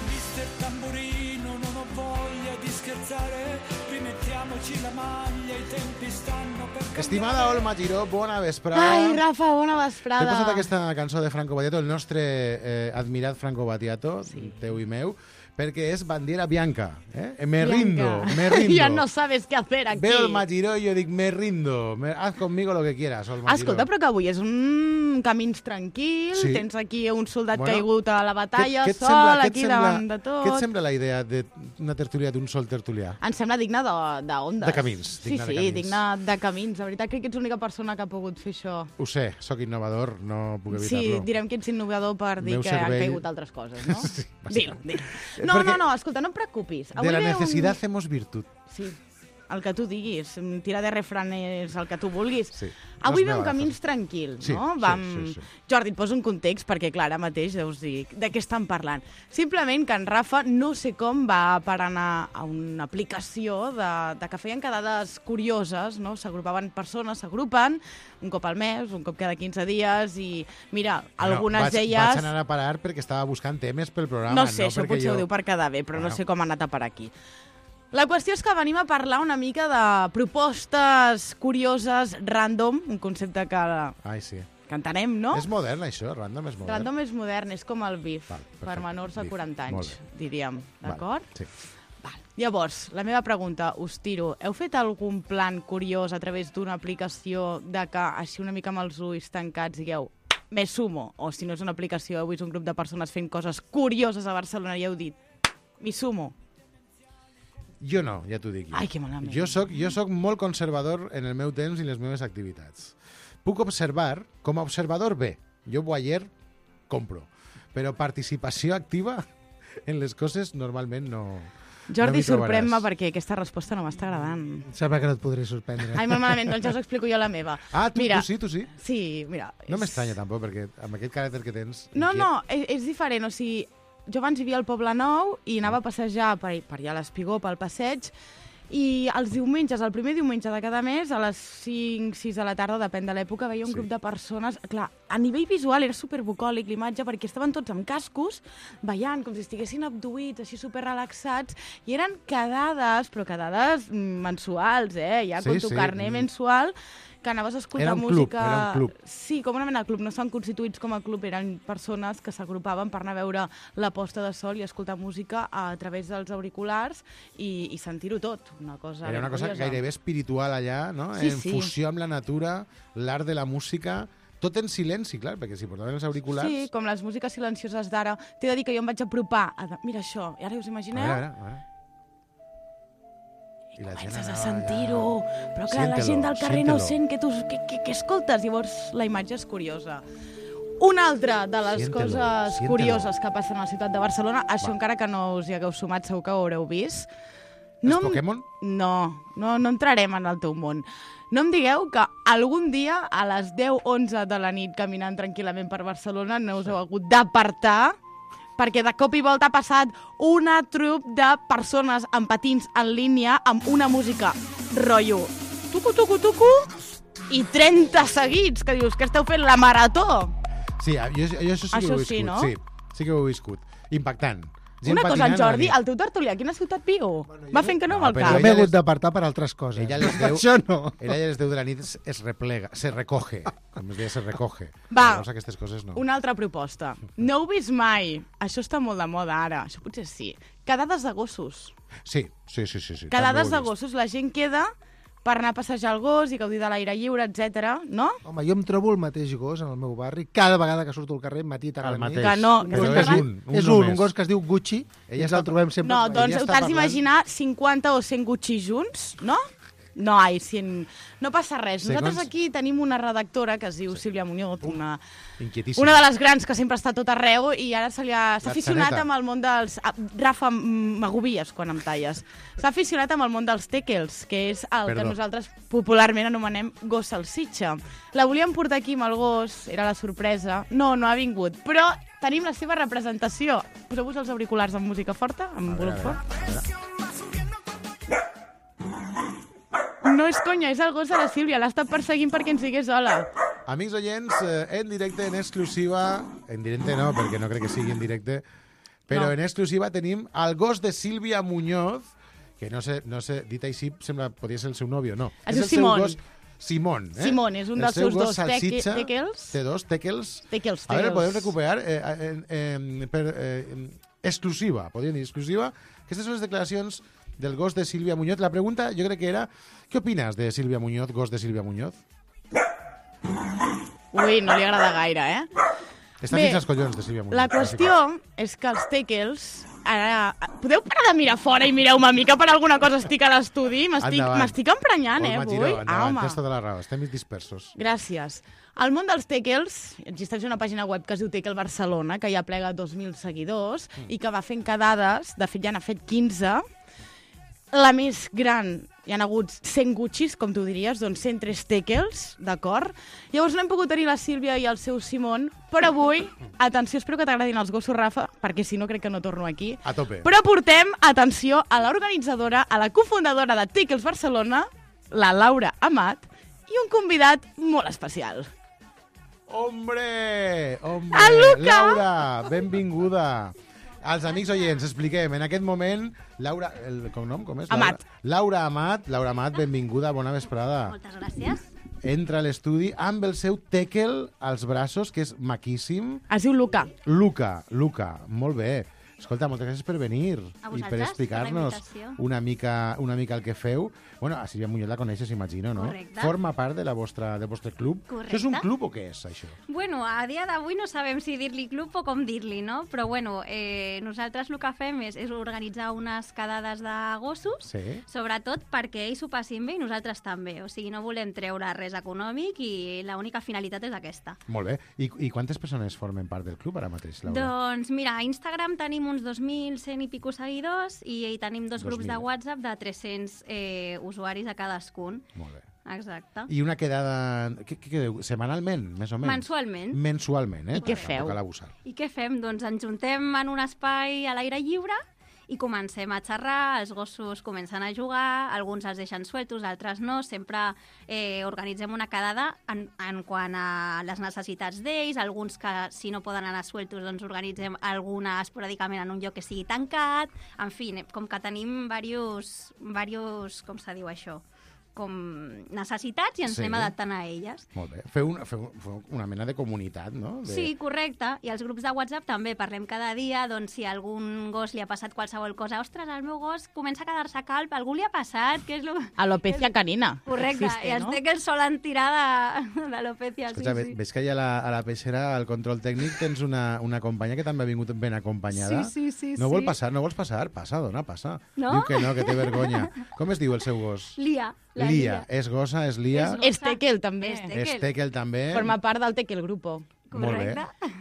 Mister Tamburino, non ho voglia di scherzare, rimettiamoci la maglia, i tempi stanno per... Estimada Olma Giró, bona vesprada. Ai, Rafa, bona vesprada. T'he posat aquesta cançó de Franco Battiato, el nostre eh, admirat Franco Battiato, sí. Teu i meu, perquè és bandera bianca. Eh? Me Bianca. rindo, me rindo. Ya no sabes qué hacer aquí. Veo Olma Giró i jo dic, me rindo, me... haz conmigo lo que quieras, Olma Giró. Escolta, però que avui és un camins tranquil, Sí. tens aquí un soldat Bueno, caigut a la batalla, Què- què et sol, sembla- què et aquí sembla- davant de tot. Què et sembla la idea d'una tertúlia d'un sol tertulià? Em sembla digne de- d'ondes. De camins, Sí, digne de sí, camins. digne de camins. La veritat crec que ets l'única persona que ha pogut fer això. Ho sé, sóc innovador, no puc Sí, evitar-lo. direm que ets innovador per dir Meu que cervell- han caigut altres coses, no? Sí, Dilo, bàsicament. dilo. Eh, No, perquè no, no, escolta, no et preocupis. De la ve un- necessitat hacemos virtud. Sí, el que tu diguis. Tira de refranes el que tu vulguis. Sí. Avui Los ve un megalazos. camins tranquil, Sí, no? sí, Vam... sí, sí. Jordi, et poso un context perquè, clar, ara mateix deus dir de què estan parlant. Simplement que en Rafa no sé com va per anar a una aplicació de, de que feien quedades curioses, no? S'agrupaven persones, s'agrupen un cop al mes, un cop cada quinze dies i, mira, algunes vaig, d'elles... Vaig anar a parar perquè estava buscant temes pel programa. No sé, no això perquè potser jo... ho diu per quedar bé, però Bueno. no sé com ha anat a parar aquí. La qüestió és que venim a parlar una mica de propostes curioses, random, un concepte que, Ai, sí. que entenem, no? És modern, això? Random és modern? Random és modern, és com el bif, Val, per perfecte. menors de Bif. quaranta Molt anys, bé. diríem, Val, d'acord? Sí. Llavors, la meva pregunta, us tiro. Heu fet algun plan curiós a través d'una aplicació de que, així una mica amb els ulls tancats, digueu, me sumo? O si no és una aplicació, heu vist un grup de persones fent coses curioses a Barcelona i heu dit, mi sumo? Jo no, ja t'ho dic. Jo. Ai, que malament. Jo soc, jo soc molt conservador en el meu temps i les meves activitats. Puc observar, com a observador bé. Jo voyeur compro. Però participació activa en les coses normalment no... Jordi, no m'hi sorprèn-me trobaràs. perquè aquesta resposta no m'està agradant. Sembla que no et podré sorprendre. Ai, molt malament, doncs ja us explico jo la meva. Ah, tu, mira, tu sí, tu sí? Sí, mira. No és- m'estranya tampoc, perquè amb aquest caràcter que tens... No, inquiet- no, és, és diferent, o sigui, jo abans vivia al Poble Nou i anava a passejar per, per allà a l'Espigó, pel passeig, i els diumenges, el primer diumenge de cada mes, a les cinc sis de la tarda, depèn de l'època, veia un Sí. grup de persones... Clar, a nivell visual era superbucòlic l'imatge, perquè estaven tots amb cascos, ballant, com si estiguessin abduïts, així superrelaxats, i eren quedades, però quedades mm, mensuals, eh? Ja Sí, con tu sí. carnet mensual, que anaves a escoltar Era un club, música... era un club. Sí, com una mena de club. No estan constituïts com a club, eren persones que s'agrupaven per anar a veure la posta de sol i escoltar música a través dels auriculars i, i sentir-ho tot. Una cosa Era una cosa curiosa. gairebé espiritual allà, no? Sí, en sí. fusió amb la natura, l'art de la música, tot en silenci, clar, perquè si portaven els auriculars... Sí, com les músiques silencioses d'ara. T'he de dir que jo em vaig apropar. A... Mira això, i ara us A imagineu? veure, a veure, a veure. I la gent Comences a anava sentir-ho, allà. però clar, la Siéntelo, gent del carrer no siéntelo. sent que tu que, que, que escoltes, llavors la imatge és curiosa. Una altra de les Siéntelo, coses siéntelo. curioses que passen a la ciutat de Barcelona, això Va. encara que no us hi hagueu sumat, segur que ho haureu vist, Els em- Pokémon? No, no, no entrarem en el teu món. No em digueu que algun dia a les deu onze de la nit caminant tranquil·lament per Barcelona no us heu hagut d'apartar perquè de cop i volta ha passat una trup de persones amb patins en línia amb una música rotllo tucu, tucu, tucu i trenta seguits, que dius que esteu fent la marató. Sí, jo, jo això sí que Això ho he viscut. sí, no? Sí, sí que ho he viscut. Impactant. Gent Una cosa, en patinant a la Jordi, nit. el teu tertulià, a quina ciutat viu? Va fent que no amb No, el però cap. Jo m'he hagut d'apartar per altres coses. Ella a les Per deu, Això no. ella a les deu de la nit es, es replega, se recoge. Com es deia, se recoge. Va, Llavors aquestes coses no. Una altra proposta. No heu vist mai, això està molt de moda ara, això potser sí, quedades de gossos. Sí, sí, sí. sí, sí Quedades també de ho he vist. gossos, la gent queda per anar a passejar el gos i gaudir de l'aire lliure, etcètera, no? Home, jo em trobo el mateix gos en el meu barri cada vegada que surto al carrer, matí, tarda, El nit. mateix. Que no, Un que gos no que es és diu- un, un és un, només. un gos que es diu Gucci, Ella i ens està- el trobem sempre. No, Ella doncs està t'has parlant- d'imaginar cinquanta o cent Gucci junts, no? No, ai, cent... no passa res. Segons- Nosaltres aquí tenim una redactora que es diu Sílvia Muñoz, una, Inquietíssim. una de les grans que sempre està a tot arreu i ara se li ha- s'ha La aficionat xaneta. amb el món dels... ah, Rafa, mm, m'agobies quan em talles. S'ha aficionat amb el món dels teckels, que és el Perdó. que nosaltres popularment anomenem gos salsitxa. La volíem portar aquí amb el gos, era la sorpresa. No, no ha vingut, però tenim la seva representació. Poseu-vos els auriculars amb música forta, amb volum fort. No és conya, és el gos de la Sílvia. L'ha estat perseguint perquè ens digués hola. Amics oients, eh, en directe, en exclusiva... En directe no, perquè no crec que sigui en directe, però No. en exclusiva tenim el gos de Sílvia Muñoz, que no sé, no sé dit així, sembla, podria ser el seu nòvio, no. Es és diu el seu Simón. gos Simón. Eh? Simón, és un El dels seu seus gos dos teque- salsitxa, teckels. Té dos teckels. Teckels, A veure, teckels. podem recuperar eh, eh, eh, per eh, exclusiva, podríem dir exclusiva. Aquestes són les declaracions del gos de Sílvia Muñoz. La pregunta jo crec que era, què opines de Sílvia Muñoz, gos de Sílvia Muñoz? Ui, no li agrada gaire, eh? Està Bé, fins als collons de Sílvia Muñoz. La qüestió és que els teckels... Ara, podeu parar de mirar fora i mireu una mica per alguna cosa estic a l'estudi? M'estic Endavant. m'estic emprenyant, eh, Olma avui? Giró, endavant, home. tens tota la raó, estem dispersos. Gràcies. Al món dels teckels existeix una pàgina web que es diu Teckel Barcelona, que ja plega dos mil seguidors Mm. i que va fent quedades, de fet ja n'ha fet quinze. La més gran, hi ha hagut cent Guccis, com tu diries, doncs cent tres teckels, d'acord? Llavors no hem pogut tenir la Sílvia i el seu Simón, però avui, atenció, espero que t'agradin els gossos, Rafa, perquè si no crec que no torno aquí. A tope. Però portem, atenció, a l'organitzadora, a la cofundadora de Teckels Barcelona, la Laura Amat, i un convidat molt especial. Hombre! Hombre! El Luca! Laura, benvinguda. Als amics oients, expliquem, en aquest moment, Laura, el cognom com és? Amat. Laura, Laura Amat, Laura Amat, benvinguda, bona vesprada. Moltes gràcies. Entra a l'estudi amb el seu teckel als braços, que és maquíssim. Es diu Luca. Luca, Luca, molt bé. Escolta, moltes gràcies per venir A i per vosaltres, per la explicar-nos invitació. una mica, una mica el que feu. Bueno, a Sílvia Muñoz la coneixes, imagino, no? Correcte. Forma part de la vostra, del vostre club. Correcte. Això és un club o què és, això? Bueno, a dia d'avui no sabem si dir-li club o com dir-li, no? Però bueno, eh, nosaltres el que fem és, és organitzar unes quedades de gossos, Sí. sobretot perquè ells ho passin bé i nosaltres també. O sigui, no volem treure res econòmic i l'única finalitat és aquesta. Molt bé. I, I quantes persones formen part del club ara mateix, Laura? Doncs mira, a Instagram tenim uns dos mil cent i pico seguidors i, i tenim dos dos grups mil. de WhatsApp de tres-cents eh, usuaris a cadascun. Molt bé. Exacte. I una quedada... Què, què quedeu? Setmanalment, més o menys? Mensualment. Mensualment, eh? I què Tampoc feu? cal abusar. I què fem? Doncs ens juntem en un espai a l'aire lliure i comencem a xerrar, els gossos comencen a jugar, alguns els deixen sueltos, altres no, sempre eh, organitzem una quedada en, en quant a les necessitats d'ells, alguns que si no poden anar sueltos doncs organitzem alguna esporàdicament en un lloc que sigui tancat, en fi, com que tenim diversos, diversos com se diu això, com necessitats i ens Sí. anem adaptant a elles. Molt bé. Feu, una, feu, feu una mena de comunitat, no? De... Sí, correcte. I als grups de WhatsApp també parlem cada dia, doncs si a algun gos li ha passat qualsevol cosa, ostres, el meu gos comença a quedar-se calp, algú li ha passat, què és lo... Alopecia canina. Correcte, Existe, i els no? teckels solen tirar de- d'alopecia, sí, Escolta, ve- sí. ves que allà a la, a la peixera, al control tècnic, tens una, una companya que també ha vingut ben acompanyada. Sí, sí, sí, No vol sí. passar, no vols passar? Passa, dona, passa. No? Diu que no, que té vergonya. Com es diu el seu gos? Lia. la Lia. És gossa, és Lia. És Teckel, també. És És Teckel, també. Forma part del Teckel Grupo. Molt bé.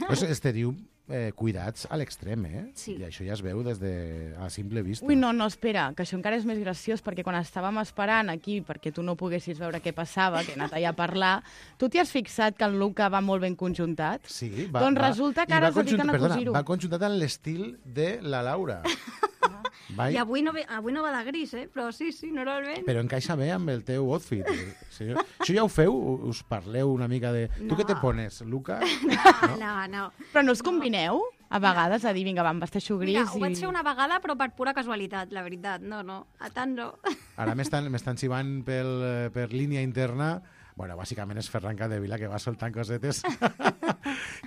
Pues este diu eh, cuidats a l'extrem, eh? Sí. I això ja es veu des de a simple vista. Ui, no, no, espera, que això encara és més graciós, perquè quan estàvem esperant aquí, perquè tu no poguessis veure què passava, que he anat allà a parlar, tu t'hi has fixat que en Luca va molt ben conjuntat? Sí, va, doncs va, resulta que i ara va es dediquen conjunta- a cosir-ho. Perdona, va conjuntat en l'estil de la Laura. Va, I avui no, ve, avui no va de gris, eh? Però sí, sí, normalment. però encaixa bé amb el teu outfit. Sí. Això ja ho feu? Us parleu una mica de... Tu No. què te pones, Luca? No, no, no. Però no us combineu? A vegades, a dir, vinga, va, em vesteixo gris Mira, ho vaig i... fer una vegada, però per pura casualitat, la veritat. No, no, a tant no. Ara m'estan m'estan xivant pel, per línia interna. Bueno, bàsicament és Ferran Capdevila que va soltant cosetes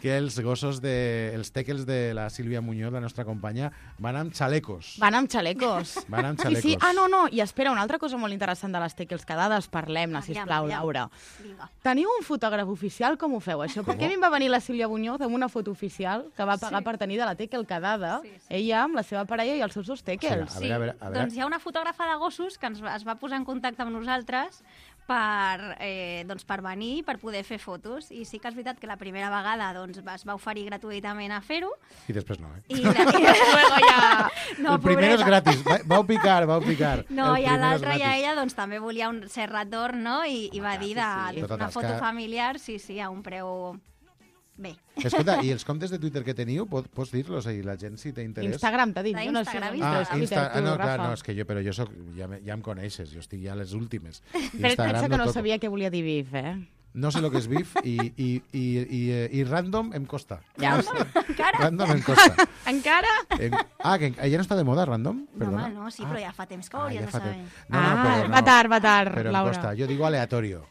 que els gossos, de, els teckels de la Sílvia Muñoz, la nostra companya, van amb xalecos. Van amb xalecos. Van amb Sí, xalecos. sí. Ah, no, no. I espera, una altra cosa molt interessant de les teckels que dades, parlem-ne, Aviam, sisplau, aviam. Laura. Vinga. Teniu un fotògraf oficial? Com ho feu, això? Com? Perquè a mi em va venir la Sílvia Muñoz amb una foto oficial que va pagar Sí. per tenir de la teckel quedada, Sí, sí. ella amb la seva parella i els seus dos teckels. A veure, a veure, a veure. Doncs hi ha una fotògrafa de gossos que ens va, es va posar en contacte amb nosaltres per, eh, doncs per venir, per poder fer fotos. I sí que és veritat que la primera vegada doncs, es va oferir gratuïtament a fer-ho. I després no, eh? I, la, i luego ja... No, el primer és pobreta. gratis. Va, vau picar, vau picar. No, El i a primer és l'altra ja gratis. ella doncs, també volia un cert retorn, no? I, i va dir de, sí, sí. de Tota una tasca. foto familiar, sí, sí, a un preu... Bé. Escolta, i els comptes de Twitter que teniu, pot, pots dir-los a la gent si té interès? Instagram, t'ha dit. Jo no sé, Instagram, no Ah, sé Twitter, Insta... tu, ah, no, clar, Rafa. no, és que jo, però jo soc, ja, me- ja em coneixes, jo estic ja a les últimes. Però pensa que no toco. sabia què volia dir bif, eh? No sé el que és bif i, i, i, i, eh, i random em costa. Ja no ho sé. Encara? Random em costa. Encara? Em... Ah, que ja no està de moda, random? No, Perdona. home, no, sí, però ja fa temps que ho Ah, hauries ja fa de saber. temps. Ah, però va tard, va tard, Però em Laura. costa. Yo digo aleatorio.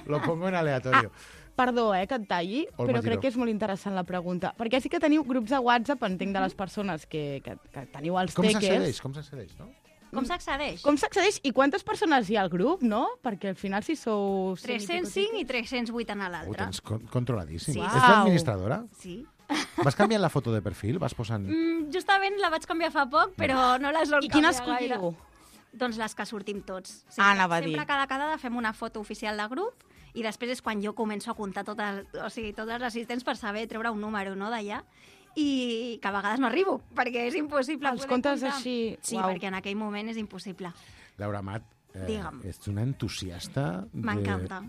Lo pongo en aleatorio. Perdó, eh, que et talli, Olma però Giró. crec que és molt interessant la pregunta. Perquè sí que teniu grups de WhatsApp, entenc, de les persones que, que, que teniu els Com teckels. s'accedeix? Com s'accedeix, no? Com s'accedeix? Com s'accedeix i quantes persones hi ha al grup, no? Perquè al final si sou... cent i tres-cents pico cinc i tres-cents vuit en Ho l'altre. tens con controladíssim. Sí. És Uau. l'administradora? Sí. Vas canviant la foto de perfil? Vas posant... Mm, justament la vaig canviar fa poc, però no la sol I quina canviar gaire. escolliu? Doncs les que sortim tots. Sí, Ah, anava a dir. Sempre cada quedada fem una foto oficial de grup i després és quan jo començo a comptar totes, o sigui, tots els assistents per saber treure un número, no, d'allà, i que a vegades no arribo, perquè és impossible Els poder comptes comptar. així, Sí, uau. perquè en aquell moment és impossible. Laura Mat, eh, Digue'm. ets una entusiasta de... M'encanta.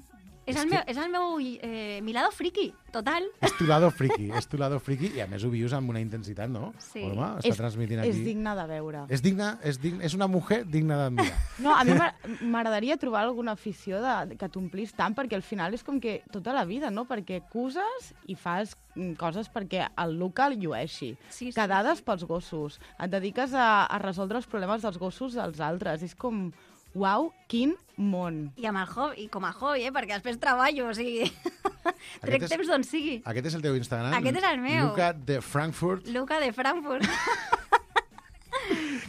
És, És el que- meu, és el meu eh, mi lado friki, total. És tu lado friki, és tu lado friki i a més ho vius amb una intensitat, no? Sí. Olma, està És, transmitint aquí. és digne de veure. És digna, és digna, és una mujer digna d'admirar. No, a mi m'a- m'agradaria trobar alguna afició de, que t'omplís tant, perquè al final és com que tota la vida, no? Perquè acuses i fas mm, coses perquè el Luca el llueixi. Sí, sí, Quedades pels gossos. Et dediques a, a resoldre els problemes dels gossos dels altres. És com, uau, quin món. I, amb el hobby, i com a hobby, eh? perquè després treballo, o sigui... Trec és- temps d'on sigui. Aquest és el teu Instagram? Aquest és el meu. Luca de Frankfurt, Luca de Frankfurt.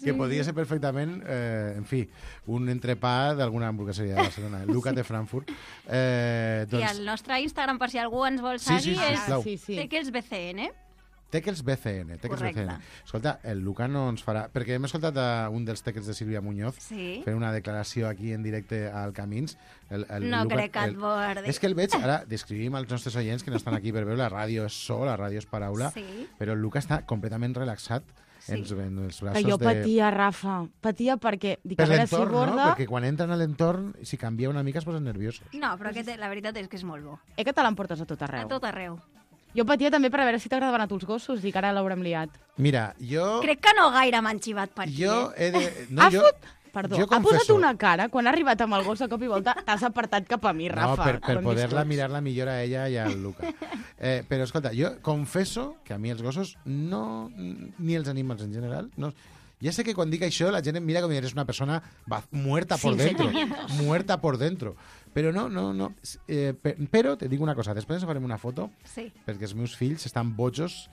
que podria ser perfectament, eh, en fi, un entrepà d'alguna hamburgueseria de Barcelona. Luca de Frankfurt. Eh, I doncs, el nostre Instagram, per si algú ens vol Sí, sí, seguir, sí, és sisplau. Sí, sí. Teckels B C N. Teckels B C N. Teckels B C N. Correcte. Escolta, el Luca no ens farà... Perquè hem escoltat a un dels teckels de Sílvia Muñoz Sí. fent una declaració aquí en directe al Camins. El, el No Luca, crec que et el- bordi. És que el veig, ara descrivim als nostres oients que no estan aquí per veure, la ràdio és so, la ràdio és paraula, Sí. però el Luca està completament relaxat Sí. en, en els Que braços jo de... patia, Rafa. Patia perquè... Dic, Per a veure si l'entorn, no? borda... Perquè quan entren a l'entorn, si canvia una mica es posen nerviosos. No, però aquest, la veritat és que és molt bo. Eh que te l'emportes a tot A arreu. tot arreu. Jo patia també per a veure si t'agradaven a tu els gossos i que ara l'haurem liat. Mira, jo... Crec que no gaire m'han xivat per aquí. Jo eh? he de... No, ha jo... fot... Perdó, jo ha posat confesso- una cara quan ha arribat amb el gos a cop i volta, t'has apartat cap a mi, No, Rafa. per, per Com poder-la dius tu. mirar-la millor a ella i al Luca. Eh, però, escolta, jo confesso que a mi els gossos no... ni els animals en general... No, ja sé que quan dic això la gent em mira com si eres una persona va, muerta por Sin dentro. sentimientos. Muerta por dentro. Però no, no, no. Eh, pe- però te dic una cosa, després farem una foto Sí. perquè els meus fills estan bojos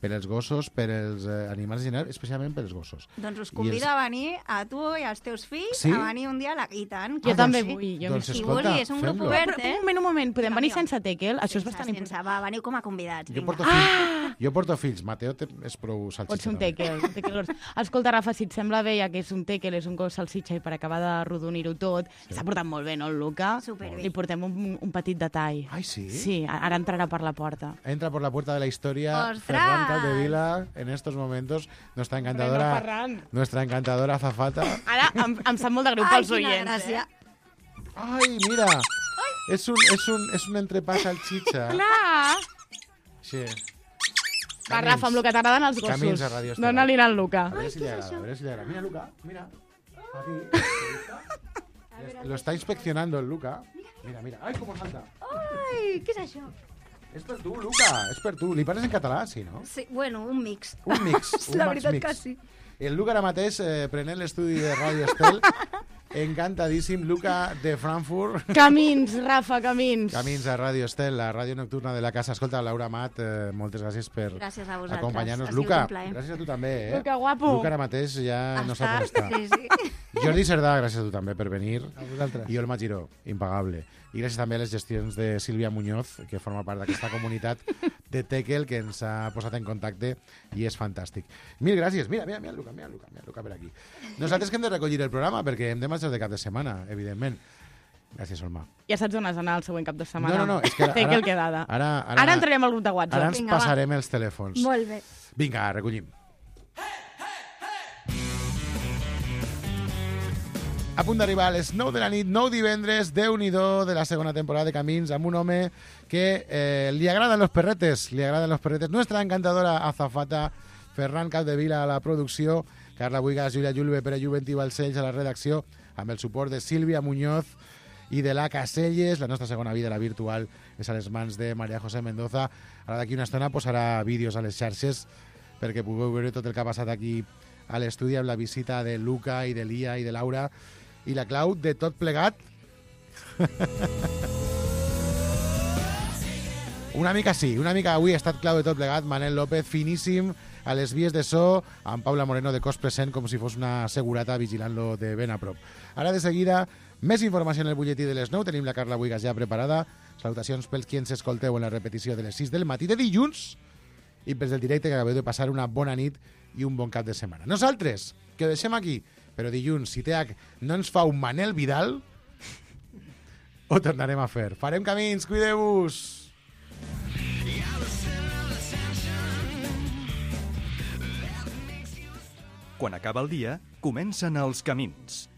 per als gossos, per als eh, animals en general, especialment per als gossos. Doncs us I convido els- a venir a tu i als teus fills Sí? a venir un dia a la... I tant. Jo Ah, també doncs- vull. Jo doncs m'hi- Si escolta, vulguis, és un grup fem-lo. obert, Però, eh? un moment, un moment, podem venir Vinga, sense tekel? Això és sense, bastant important. sense, va, veniu com a convidats. Jo Vinga. porto, fills, jo porto fills. Mateo té, és prou salsitxa. Pots ser un també. tekel. un tekel gros. Escolta, Rafa, si et sembla bé, ja que és un tekel, és un gos salsitxa i per acabar de rodonir-ho tot, s'ha portat molt bé, no, el Luca? Superbé. Li portem un, un petit detall. Ai, sí? Sí, ara entrarà per la porta. Entra por la puerta de la historia ¡Ostras! Ferran Capdevila en estos momentos, nuestra Bueno, encantadora, Ferran. nuestra encantadora azafata. Ara em, em sap molt de greu Ai, pels quina oients, gràcia. eh? Ai, mira, és un, és un, és un entrepà salchicha. Clar! Sí. Va, Rafa, amb el que t'agraden els gossos. Camins a Radio Estelar. Dóna-li al Luca. A ver si le agrada, a ver si le agrada. Mira, Luca, mira. Aquí. ¿Te gusta? Lo está inspeccionando el Luca. Mira, mira. Ay, cómo salta. Ai, què és això? És per tu, Luca, és per tu. Li parles en català, sí, no? Sí, bueno, un mix. Un mix, un La max veritat mix. que sí. El Luca ara mateix, eh, prenent l'estudi de Ràdio Estel, encantadíssim. Luca de Frankfurt. Camins, Rafa, camins. Camins a Ràdio Estel, la ràdio nocturna de la casa. Escolta, Laura Mat, eh, moltes gràcies per Gràcies a vosaltres. acompanyar-nos. Ha sigut Luca, un plaer. gràcies a tu també, eh? Luca, guapo. Luca ara mateix ja no sap on està. Sí, sí. Jordi Cerdà, gràcies a tu també per venir. A vosaltres. I Olma Giró, impagable. I gràcies també a les gestions de Sílvia Muñoz, que forma part d'aquesta comunitat de Tekel, que ens ha posat en contacte i és fantàstic. Mil gràcies. Mira, mira, mira, Luca, mira, Luca, mira, Luca per aquí. Nosaltres que hem de recollir el programa, perquè hem de marxar de cap de setmana, evidentment. Gràcies, Olma. Ja saps on has d'anar el següent cap de setmana. No, no, no, és que ara- Tekel ara- quedada. ara- ara- ara entrarem al grup de WhatsApp. Ara ens Vinga, va. passarem els telèfons. Molt bé. Vinga, recollim. A punt d'arribar a les nou de la nit, nou divendres, Déu-n'hi-do de la segona temporada de Camins, amb un home que eh, li agraden los perretes, li agraden los perretes. Nuestra encantadora azafata, Ferran Capdevila a la producció, Carla Buigas, Julia Julve, Pere Juvent i Balcells a la redacció, amb el suport de Sílvia Muñoz i de la Caselles. La nostra segona vida, la virtual, és a les mans de Maria José Mendoza. Ara d'aquí una estona posarà vídeos a les xarxes perquè pugueu veure tot el que ha passat aquí a l'estudi amb la visita de Luca i de Lia i de Laura i la clau de tot plegat. Una mica sí, una mica avui ha estat clau de tot plegat. Manel López, finíssim, a les vies de so, amb Paula Moreno de cos present, com si fos una segurata vigilant-lo de ben a prop. Ara de seguida, més informació en el butlletí de les nou. Tenim la Carla Buigas ja preparada. Salutacions pels qui ens escolteu en la repetició de les sis del matí de dilluns i pels del directe que acabeu de passar una bona nit i un bon cap de setmana. Nosaltres, que ho deixem aquí, però dilluns, si T H no ens fa un Manel Vidal, ho tornarem a fer. Farem camins, cuideu-vos! Quan acaba el dia, comencen els camins.